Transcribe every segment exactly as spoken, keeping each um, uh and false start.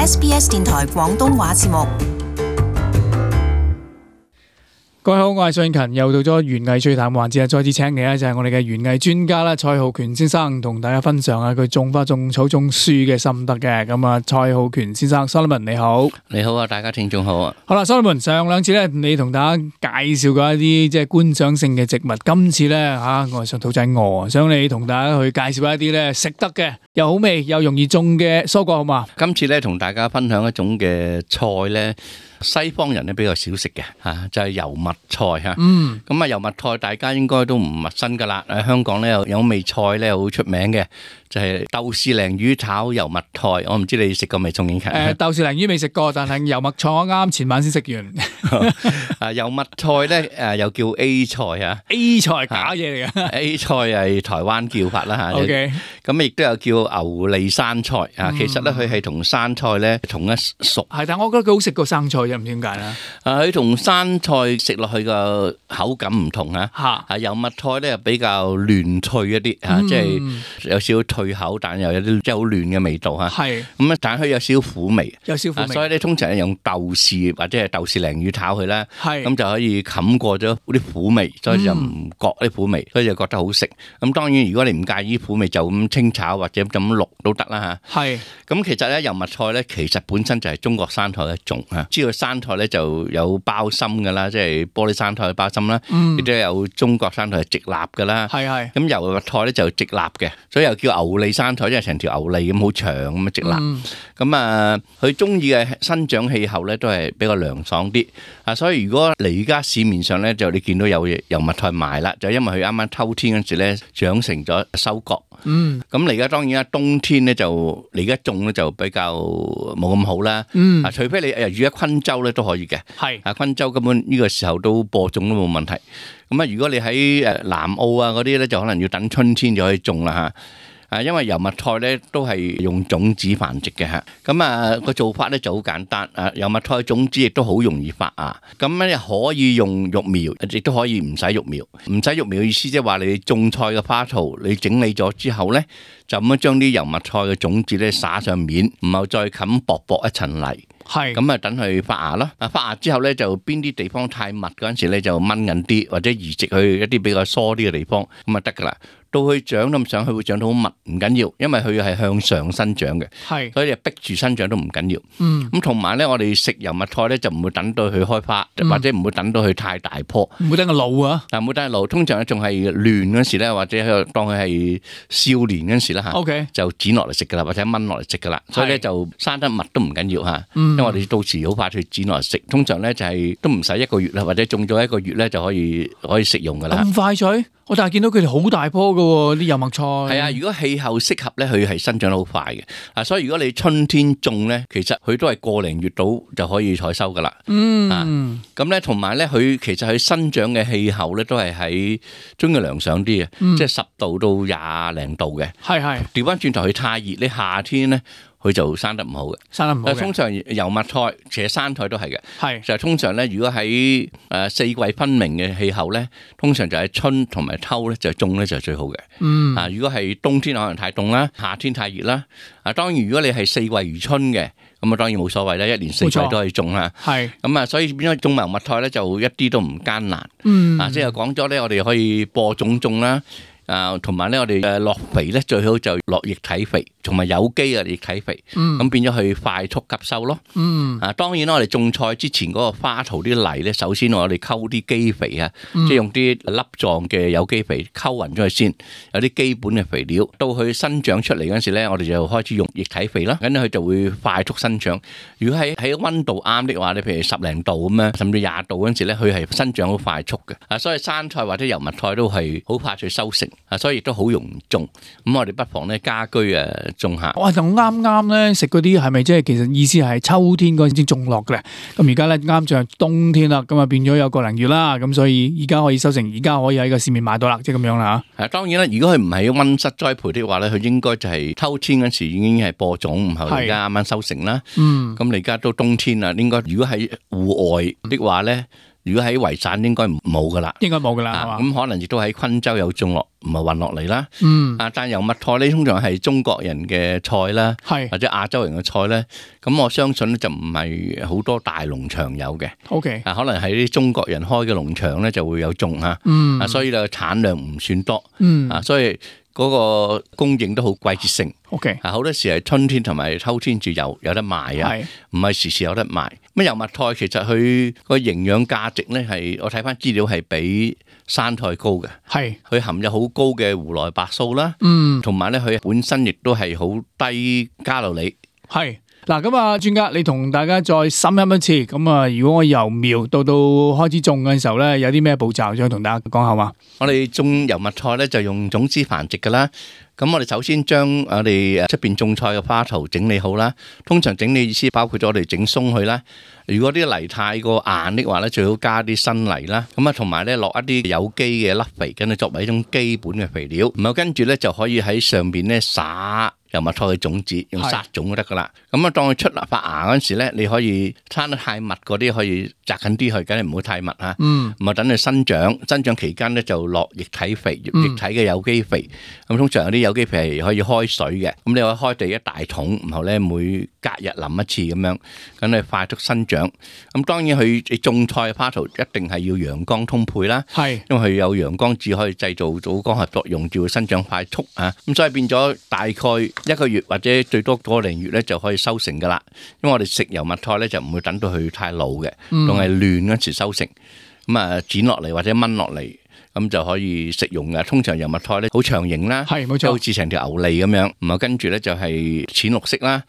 S B S 電台廣東話節目。各位好，我係蘇永勤，又到咗園藝趣談環節啊！再次請嚟咧就係我哋嘅園藝專家啦，蔡浩權先生同大家分享下佢種花、種草、種樹嘅心得嘅。咁啊，蔡浩權先生 ，Solomon 你好，你好啊，大家聽眾好啊。好啦 ，Solomon 上兩次咧，你同大家介紹過一啲即係觀賞性嘅植物，今次咧吓，我上肚仔餓，想你同大家去介紹一啲咧食得嘅，又好味又容易種嘅蔬果，好嘛？今次咧同大家分享一種嘅菜咧。西方人咧比較少食嘅嚇，就係油麥菜嚇。嗯，咁啊油麥菜大家應該都唔陌生噶啦。喺香港咧有有味菜咧好出名嘅，就係豆豉鯪魚炒油麥菜。我唔知你食過未？宋景強。誒豆豉鯪魚未食過，但係油麥菜我啱前晚先食完。啊油麥菜咧誒又叫 A 菜啊 ，A 菜假嘢嚟嘅。A 菜係台灣叫法啦嚇。OK。咁亦都有叫牛脷生菜啊。其實咧佢係同生菜咧同一屬。係，但係我覺得佢好食過生菜。唔知點解咧？啊，佢同生菜食落去個口感唔同啊！嚇，啊油麥菜咧比較嫩脆一啲嚇，即係有少少脆口，但又有啲即係好嫩嘅味道嚇。係咁啊，但係佢有少少苦味，有少少苦味。所以咧，通常係用豆豉或者係豆豉鯪魚炒佢啦，咁就可以冚過咗啲苦味，所以就唔覺啲苦味，所以就覺得好食。咁當然，如果你唔介意苦味，就咁清炒或者咁淥都得啦嚇。係咁，其實咧油麥菜咧，其實本身就係中國生菜嘅一種嚇，知道。生菜咧就有包心噶啦，即係玻璃生菜嘅包心啦，亦都有中國生菜係直立噶啦。係係。咁油麥菜咧就直立嘅，所以又叫牛脷生菜，即係成條牛脷咁好長咁啊直立。咁啊，佢中意嘅生長氣候咧都係比較涼爽啲啊，所以如果你而家市面上咧就你見到有油麥菜賣啦，就因為佢啱啱秋天嗰時咧長成咗收割。嗯。咁你而家當然啦，冬天咧就你而家種咧就比較冇咁好啦。嗯。啊，除非你誒住喺昆州咧都可以嘅，係啊，昆州根本呢個時候都播種都冇問題。咁啊，如果你喺誒南澳啊嗰啲咧，就可能要等春天就可以種啦嚇。啊，因為油麥菜咧都係用種子繁殖嘅嚇。咁啊個做法咧就好簡單。啊，油麥菜種子亦都好容易發芽。咁咧可以用育苗，亦都可以唔使育苗。唔使育苗嘅意思即係話你種菜嘅花槽，你整理咗之後咧，就咁樣將啲油麥菜嘅種子咧撒上面，然後再冚薄薄一層泥。係咁啊，等佢發芽咯。啊，發芽之後咧，就邊啲地方太密嗰陣時咧，就掹緊啲，或者移植去一啲比較疏啲嘅地方，咁啊得噶啦。到佢長咁上去，會長到好密，唔緊要，因為佢係向上生長嘅，係，所以逼住生長都唔緊要。嗯，咁同埋咧，我哋食油麥菜咧，就唔會等到佢開花，嗯、或者唔會等到佢太大棵，唔會等佢老啊。但唔會等佢老，通常咧仲係嫩嗰時咧，或者當佢係少年嗰時啦嚇，OK，就剪落嚟食噶啦，或者掹落嚟食噶啦。所以咧就生得密都唔緊要嚇，嗯、因為我哋到時好快去剪落嚟食。通常咧就係、是、都唔使一個月啦，或者種咗一個月咧就可以可以食用噶啦。咁快脆？我但係見到佢哋好大棵㗎喎，啲油麥菜。係啊，如果氣候適合咧，佢係生長得好快嘅。啊，所以如果你春天種咧，其實佢都係個零月到就可以採收噶啦。嗯。啊，咁咧同埋咧，佢其實佢生長嘅氣候咧都係喺中嘅涼爽啲嘅，嗯、即係十度到廿零度嘅。係係。調翻轉頭，佢太熱，你夏天咧。佢就生得唔好嘅，生得唔好嘅。通常油麥菜，其實生菜都係嘅，係就係通常咧，如果喺誒四季分明嘅氣候咧，通常就係春同埋秋咧就種咧就係最好嘅。嗯，啊，如果係冬天可能太凍啦，夏天太熱啦，啊，當然如果你係四季如春嘅，咁啊當然冇所謂啦，一年四季都可以種啦。係咁啊，所以變咗種油麥菜咧就一啲都唔艱難。嗯，啊，即係講咗咧，我哋可以播種種啦。啊，同埋咧，我哋誒落肥咧，最好就落液體肥，同埋有機嘅液體肥，咁、嗯、變咗去快速吸收咯。嗯，啊，當然啦，我哋種菜之前嗰個花槽啲泥咧，首先我哋溝啲基肥啊，嗯、即係用啲粒狀嘅有機肥溝勻咗佢先，有啲基本嘅肥料，到佢生長出嚟嗰陣時咧，我哋就開始用液體肥啦，咁佢就會快速生長。如果喺喺溫度啱的話，你譬如十零度咁樣，甚至廿度嗰陣時咧，佢係生長好快速嘅。啊，所以生菜或者油麥菜都係好快脆收成。啊，所以亦都好容易種，咁我哋不妨咧家居誒種下。哇，就啱啱咧食嗰啲係咪即係其實意思係秋天嗰陣先種落嘅咧？咁而家咧啱就係冬天啦，咁啊變咗有個零月啦，咁所以而家可以收成，而家可以喺個市面買到啦，即係咁樣啦嚇。係當然啦，如果佢唔係溫室栽培的話咧，佢應該就係秋天嗰時已經係播種，然後而家啱啱收成啦。嗯，咁你而家都冬天啦，應該如果喺戶外的話咧。如果喺維省應該冇噶啦，應該冇噶啦，係嘛？咁可能亦都喺昆州有種落，唔係運落嚟啦。嗯，啊，但油麥菜咧通常係中國人嘅菜啦，係或者亞洲人嘅菜咧，咁我相信咧就唔係好多大農場有嘅。OK，啊，可能喺啲中國人開嘅農場咧就會有種嚇，嗯，啊，所以咧產量唔算多，嗯，啊，所以嗰個供應都好季節性。OK，啊，好多時係春天同埋秋天就有有得賣啊，唔係時時有得賣。咁油麥菜其實佢個營養價值咧係我睇翻資料係比生菜高嘅，係佢含有好高嘅胡萊白素啦，嗯，同埋咧佢本身亦都係好低卡路里，係。嗱，咁啊，專家，你同大家再深入一次。咁啊，如果我由苗到到開始種嘅時候咧，有啲咩步驟想同大家講下嘛？我哋種油麥菜咧就用種子繁殖噶啦。咁我哋首先將我哋出邊種菜嘅花槽整理好啦。通常整理意思包括咗我哋整鬆佢啦。如果啲泥太過硬的話咧，最好加啲新泥啦。咁啊，同埋咧落一啲有機嘅粒肥，跟住作為一種基本嘅肥料。然後跟住咧就可以喺上邊咧撒油麥菜嘅種子，用撒種就得噶啦。咁啊，當佢出嚟發芽嗰陣時咧，你可以生得太密嗰啲可以摘緊啲去，梗係唔好太密嚇。嗯。咁啊，等佢生長，生長期間咧就落液體肥，液體嘅有機肥。咁通常有啲有機肥係可以開水嘅，咁你可以開地一大桶，然後咧每隔日淋一次咁樣，咁你快速生長。咁當然佢你種菜嘅花槽一定係要陽光充沛啦，係，因為佢有陽光至可以製造到光合作用，就會生長快速啊。咁所以變咗大概一個月或者最多個零月咧就可以收成噶啦。因為我哋食油麥菜咧就唔會等到佢太老嘅，仲係嫩嗰時收成，咁啊剪落嚟或者炆落嚟。咁就可以食用嘅。通常油麥菜咧好長形啦，係冇錯，好似成條牛脷咁樣。咁啊跟住咧就係淺綠色啦。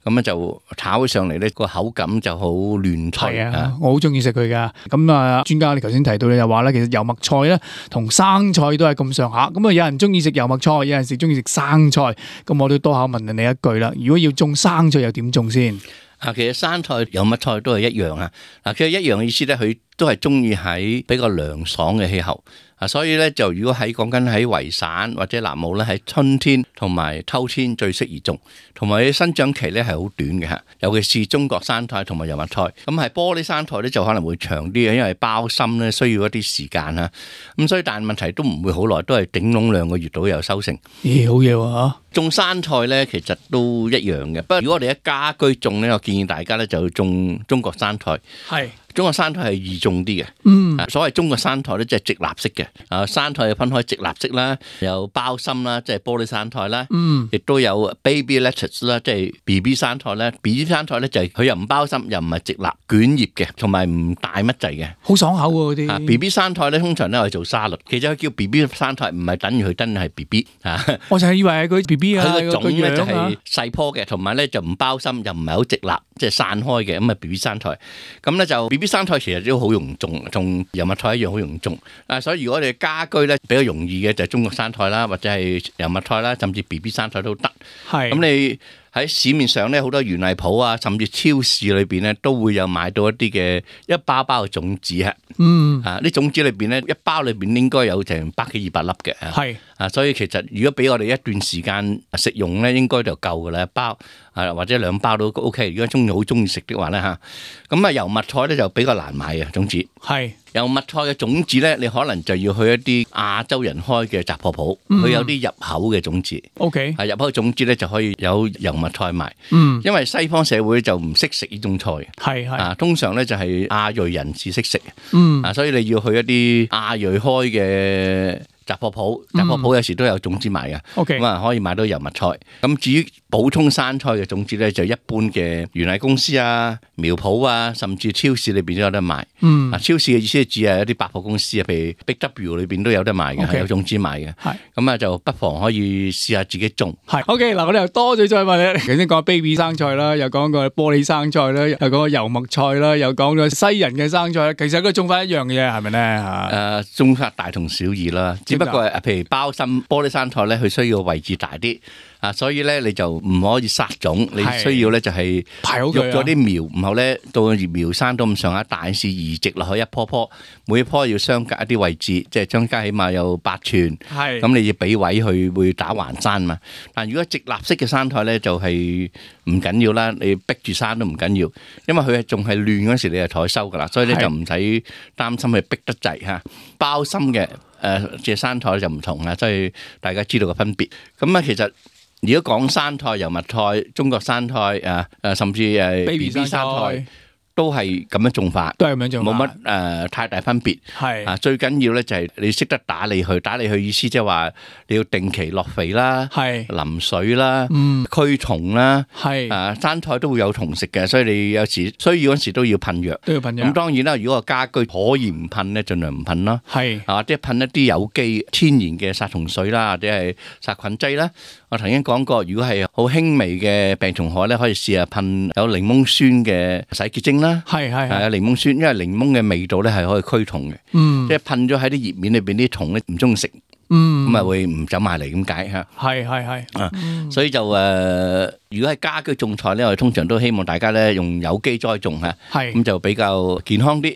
咁咧就炒起上嚟咧個口感就好嫩脆啊！我好中意食佢噶。咁啊，專家你頭先提到你就話咧，其實油麥菜咧同生菜都係咁上下。咁啊，有人中意食油麥菜，有人食中意食生菜。咁我都多口問你一句啦。如果要種生菜又點種先？啊，其實生菜、油麥菜都係一樣啊。嗱，其實一樣嘅意思咧，佢都係中意喺比較涼爽嘅氣候。啊，所以咧就如果喺講緊喺維省或者南澳咧，喺春天同埋秋天最適宜種，同埋生長期咧係好短嘅嚇，尤其是中國生菜同埋油麥菜。咁係玻璃生菜咧就可能會長啲嘅，因為包心咧需要一啲時間啊。咁所以但係問題都唔會好耐，都係頂籠兩個月到有收成。咦，好嘢喎嚇！種生菜咧其實都一樣嘅，不過如果我哋喺家居種咧，我建議大家咧就種中國生菜。係。中國生菜係易種啲嘅，嗯，所謂中國生菜咧，即係直立式嘅，啊，生菜分開直立式啦，有包心啦，即係玻璃生菜啦，嗯，亦都有 baby lettuce 啦，即係 B B 生菜啦。B B 生菜咧就係佢又唔包心，又唔係直立捲葉嘅，同埋唔大乜滯嘅，好爽口喎嗰啲。B B 生菜咧通常咧我哋做沙律，其實佢叫 B B 生菜唔係等於佢真係 B B 啊。我就係以為係佢 B B 啊，佢個種咧就係細棵嘅，同埋咧就唔包心，又唔係好直立，即係散開嘅，咁啊 B B 生菜。咁咧就 B B 生菜其實都好容易種，同油麥菜一樣好容易種。啊，所以如果你家居咧比較容易嘅就係中國生菜啦，或者係油麥菜啦，甚至 B B 生菜都得。係。咁你喺市面上咧好多園藝鋪啊，甚至超市裏邊咧都會有買到一啲嘅一包包嘅種子啊。嗯。啊，啲種子裏邊咧一包裏邊應該有成百幾二百粒嘅。係。啊，所以其實如果俾我哋一段時間食用咧，應該就夠噶啦，一包啊或者兩包都 OK。如果中意好中意食的話咧嚇，咁啊油麥菜咧就比較難買嘅種子。係。油麥菜嘅種子咧，你可能就要去一啲亞洲人開嘅雜貨鋪，佢有啲入口嘅種子。OK。係入口嘅種子咧就可以有油麥菜賣。嗯。因為西方社會就唔識食呢種菜。係係。啊，通常咧就係亞裔人士識食。嗯。啊，所以你要去一啲亞裔開嘅雜貨鋪，雜貨鋪有時都有種子賣嘅，咁啊可以買到油麥菜。咁至於補充生菜嘅種子咧，就一般嘅園藝公司啊、苗圃啊，甚至超市裏邊都有得賣。嗯，啊超市嘅意思係指係一啲百貨公司啊，譬如 Big W 裏邊都有得賣嘅，係 Okay. 有種子賣嘅。係，咁啊就不妨可以試下自己種。係 ，OK 嗱，我哋又多咗再問你，頭先講 baby 生菜啦，又講過玻璃生菜啦，又講過油麥菜啦，又講咗西人嘅生菜，其實都種法一樣嘅啫，係咪咧嚇？誒，種法大同小異啦。只不過係譬如包心玻璃生菜咧，佢需要位置大啲，啊，所以咧你就唔可以殺種，你需要咧就係排好佢，育咗啲苗，然後咧到苗生到咁上下大樹移植落去一棵棵，每一棵要相隔一啲位置，即係相隔起碼有八寸。係咁你要俾位去會打橫生嘛。但如果直立式嘅生菜咧就係唔緊要啦，你逼住生都唔緊要，因為佢係仲係亂嗰時你就採收噶啦，所以咧就唔使擔心佢逼得滯嚇。包心嘅誒隻生菜就唔同啦，所以大家知道個分別。咁啊其實如果講生菜、油麥菜、中國生菜啊誒甚至誒 B B 生菜，都係咁樣種法，都係咁樣種法，冇乜誒太大分別。係啊，最緊要咧就係你識得打理佢，打理佢意思即係話你要定期落肥啦，係淋水啦，嗯，驅蟲啦，係啊，生菜都會有蟲食嘅，所以你有時需要嗰時都要噴藥，都要噴藥。咁當然啦，如果個家居可以唔噴咧，盡量唔噴啦。係啊，或者噴一啲有機天然嘅殺蟲水啦，或者係殺菌劑啦。我曾經講過，如果係好輕微嘅病蟲害咧，可以試下噴有檸檬酸嘅洗潔精啦。係係係啊，檸檬酸，因為檸檬嘅味道咧係可以驅蟲嘅。嗯，即係噴咗喺啲葉面裏邊啲蟲咧唔中意食。嗯，咁啊會唔走埋嚟咁解嚇。係係係啊，所以就誒，如果係家居種菜咧，我哋通常都希望大家咧用有機栽種嚇。係咁就比較健康啲。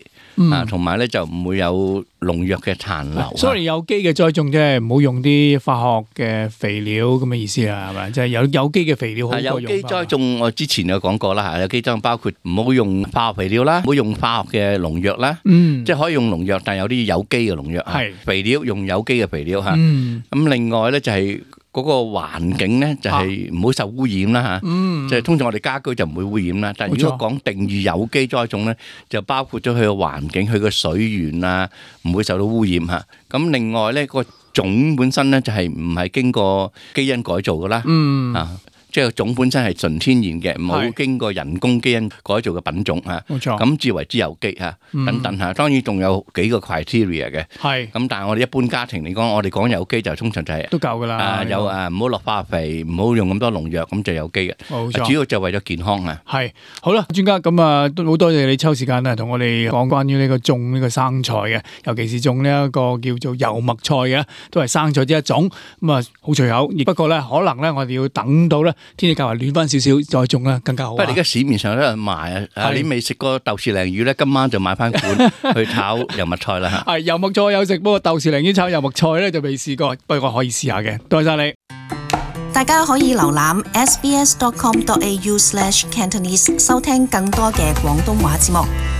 啊，同埋咧就唔會有農藥嘅殘留。所以有機嘅栽種即係唔好用啲化學嘅肥料咁嘅意思啊，係咪？即係有有機嘅肥料好過用。有機栽種我之前有講過啦嚇，有機栽種包括唔好用化學肥料啦，唔好用化學嘅農藥啦。嗯，即係可以用農藥，但係有啲有機嘅農藥。係肥料用有機嘅肥料嚇。嗯，咁另外咧就係。嗰個環境咧就係唔好受污染啦嚇，嗯、即係通常我哋家居就唔會污染啦。但係如果講定義有機栽種咧，就包括咗佢個環境、佢個水源啊，唔會受到污染嚇。咁另外咧，個種本身咧就係唔係經過基因改造噶啦，嗯、啊。即係種本身係純天然嘅，冇經過人工基因改造嘅品種嚇，冇錯，咁至為之有機嚇，等等嚇。當然仲有幾個 criteria 嘅，係咁。但係我哋一般家庭嚟講，我哋講有機就通常就係都夠㗎啦。啊，有啊，唔好落化肥，唔好用咁多農藥，咁就有機嘅。冇錯，主要就為咗健康啊。係好啦，專家咁啊，都好多謝你抽時間啊，同我哋講關於呢個種呢個生菜嘅，尤其是種呢一個叫做油麥菜嘅，都係生菜之一種。咁啊，好隨口，亦不過咧，可能咧，我哋要等到咧。天氣較為暖翻少少，再種啦，更加好。不過而家市面上都有人賣啊！你未食過豆豉鯪魚咧，今晚就買翻罐去炒油麥菜啦。係油麥菜有食，不過豆豉鯪魚炒油麥菜咧就未試過，不過我可以試下嘅。多謝晒你。大家可以瀏覽 s b s dot com dot a u slash cantonese 收聽更多嘅廣東話節目。